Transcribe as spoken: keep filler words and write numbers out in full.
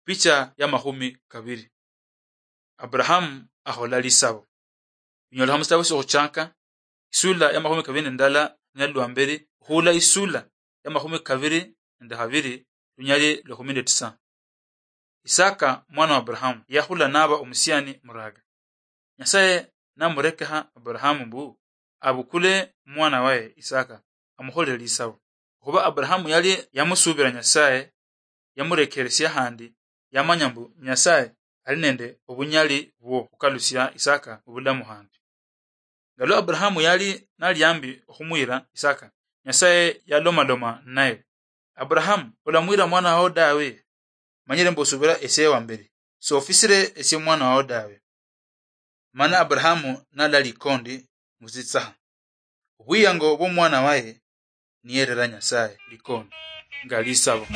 Picha ya makhumi kaviri. Abrahamu akhola lisavo. Binyolekha mu sitabo siokhuchaka, isula ya makhumi kaviri nendala, lunyali lwa mberi, khuula isula ya makhumi kaviri nende khaviri, lunyali lwa kumi nende tisa. Isaka mwana wa Abrahamu yakhula nava omusiani muraga. Nyasaye namurekekha Abrahamu mbu avukule mwana waye Isaka, amukholele lisavo. Okhuva Abrahamu yali yamusuvira Nyasaye, yamurekeresia khandi yamanya mbu Nyasaye ali nende ovunyali vwo khukalusia Isaka muvulamu khandi. Nga lwa Abrahamu yali nali ambi okhumwira Isaka, Nyasaye yalomaloma naye, "Abrahamu, olamwira mwana wao dawe? Manyire mbu osuvira esie wamberi, sofisire esie mwana wao dawe." Mana Abrahamu nala likondi musitsaha. Obwiyango bw'omwana waye niyerera Nyasaye likondi nga lisabo.